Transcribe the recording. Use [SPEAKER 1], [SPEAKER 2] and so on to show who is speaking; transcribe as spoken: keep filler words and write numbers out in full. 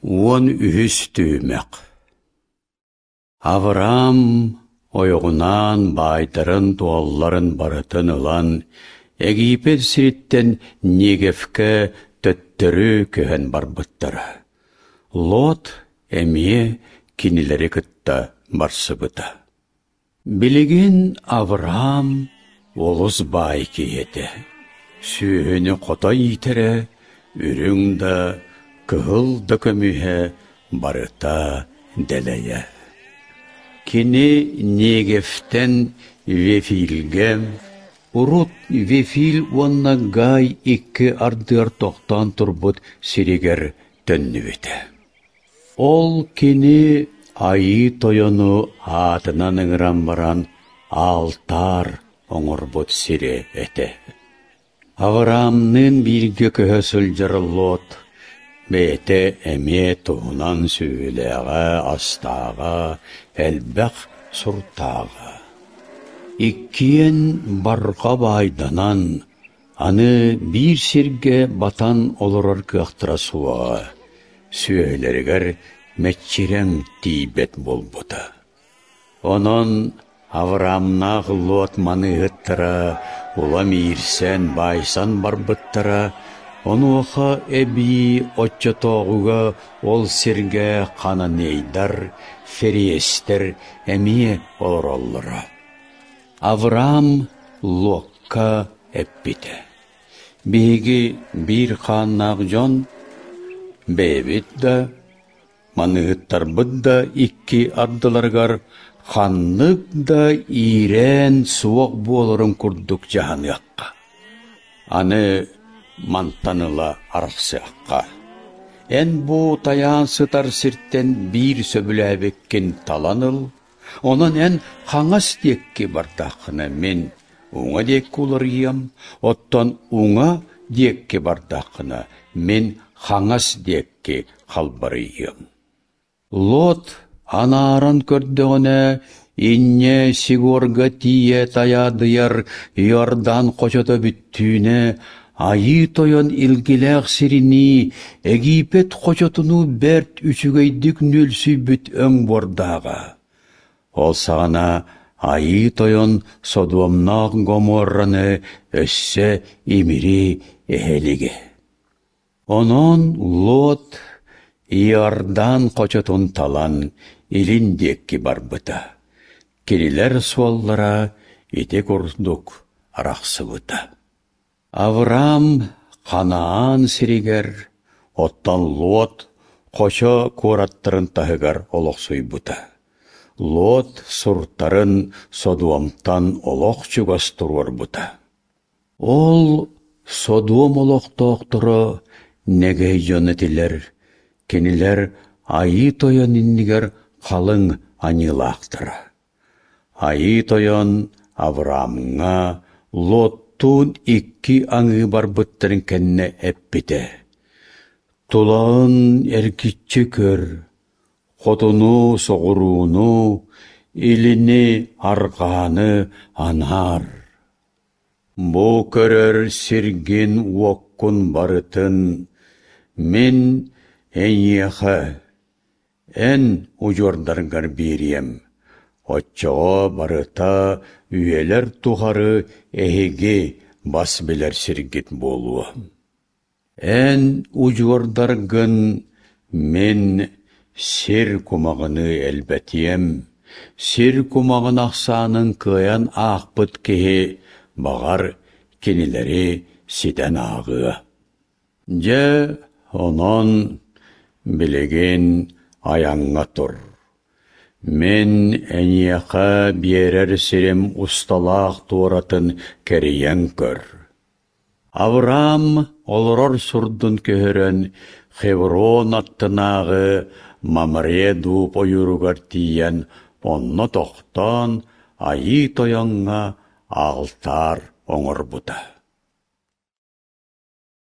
[SPEAKER 1] Уон үһүс түһүмэх. Авраам ойоҕунаан баайдарын-дуолларын барытын ылан, Египет сириттэн Негевкэ төттөрү көһөн барбыттара. Лот эмиэ кинилэри кытта барсыбыта. Билигин Авраам олус баай киһи этэ. Сүөһүнү хото иитэрэ, үрүҥ да, кыһыл да көмүһэ барыта дэлэйэ. Кини Негевтэн Вефильгэ, урут Вефиль уонна Гай икки ардыгар тохтоон турбут сиригэр төннүбүтэ. Ол кини Айыы Тойону аатынан ыҥыран баран алтаар оҥорбут сирэ этэ. Авраамныын бииргэ көһө сылдьар Лот бэйэтэ эмиэ туһунан сүөһүлээҕэ, астааҕа, элбэх суртааҕа. Иккиэн барҕа баайданан, аны биир сиргэ батан олорор кыахтара суоҕа, сүөһүлэригэр мэччирэҥ тиийбэт буолбута. Онон Авраамнаах Лот маныыһыттара улам иирсэн, баайсан барбыттара, онуоха эбии оччотооҕуга ол сиргэ хананейдар, фериэстэр эмиэ олороллоро. Авраам Локка эппитэ: «Биһиги биир хааннаах дьон, бэйэбит да, маныыһыттарбыт да икки ардыларыгар ханнык да иирээн суох буоларын курдук дьаһаныахха. Аны мантан ыла арахсыахха. Эн бу тайаан сытар сиртэн биир сөбүлээбиккин талан ыл, онон эн хаҥас диэки бардаххына мин уҥа диэки уларыйыам, оттон уҥа диэки бардаххына мин хаҥас диэки халбарыйыам». Лот анааран көрдөҕүнэ, инньэ Сигорга тиийэ тайаадыйар Иордан хочото бүттүүнэ Айыы Тойон илгилээх сиринии Египет хочотунуу бэрт үчүгэйдик нүөлсүйбүт өҥ буордааҕа. Ол саҕана Айыы Тойон Содуомнаах Гоморраны өссө имири эһэлигэ. Онон Лот Иордан хочотун талан илин диэки барбыта. Кинилэр суоллара ити курдук арахсыбыта. Авраам Ханаан сиригэр, оттон Лот хочо куораттарын таһыгар олохсуйбута. Лот суртарын Содуомтан олох чугас туруорбута. Ол Содуом олохтоохторо нэгэй дьон этилэр, кинилэр Айыы Тойон иннигэр халыҥ аньыылаахтара. Айыы Тойон Авраамҥа Лоттуун икки аҥыы барбыттарын кэннэ эппитэ: «Тулаҕын эргиччи көр, хотуну, соҕурууну, илини, арҕааны анаар. Бу көрөр сиргин-уоккун барытын мин эйиэхэ, эн удьуордаргар биэриэм, оччоҕо барыта үйэлэр тухары эһиги бас билэр сиргит буолуо. Эн удьуордаргын мин сир кумаҕыныы элбэтиэм, сир кумаҕын ахсаанын кыайан аахпыт киһи, баҕар, кинилэри ситэн ааҕыа. Дьэ, онон билигин айаҥҥа тур. Мин эйиэхэ биэрэр сирим усталаах туоратын кэрийэн көр». Авраам олорор сурдун көһөрөн Хеврон аттынааҕы Мамре дууп ойууругар тиийэн онно тохтоон Айыы Тойоҥҥо алтаар оҥорбута.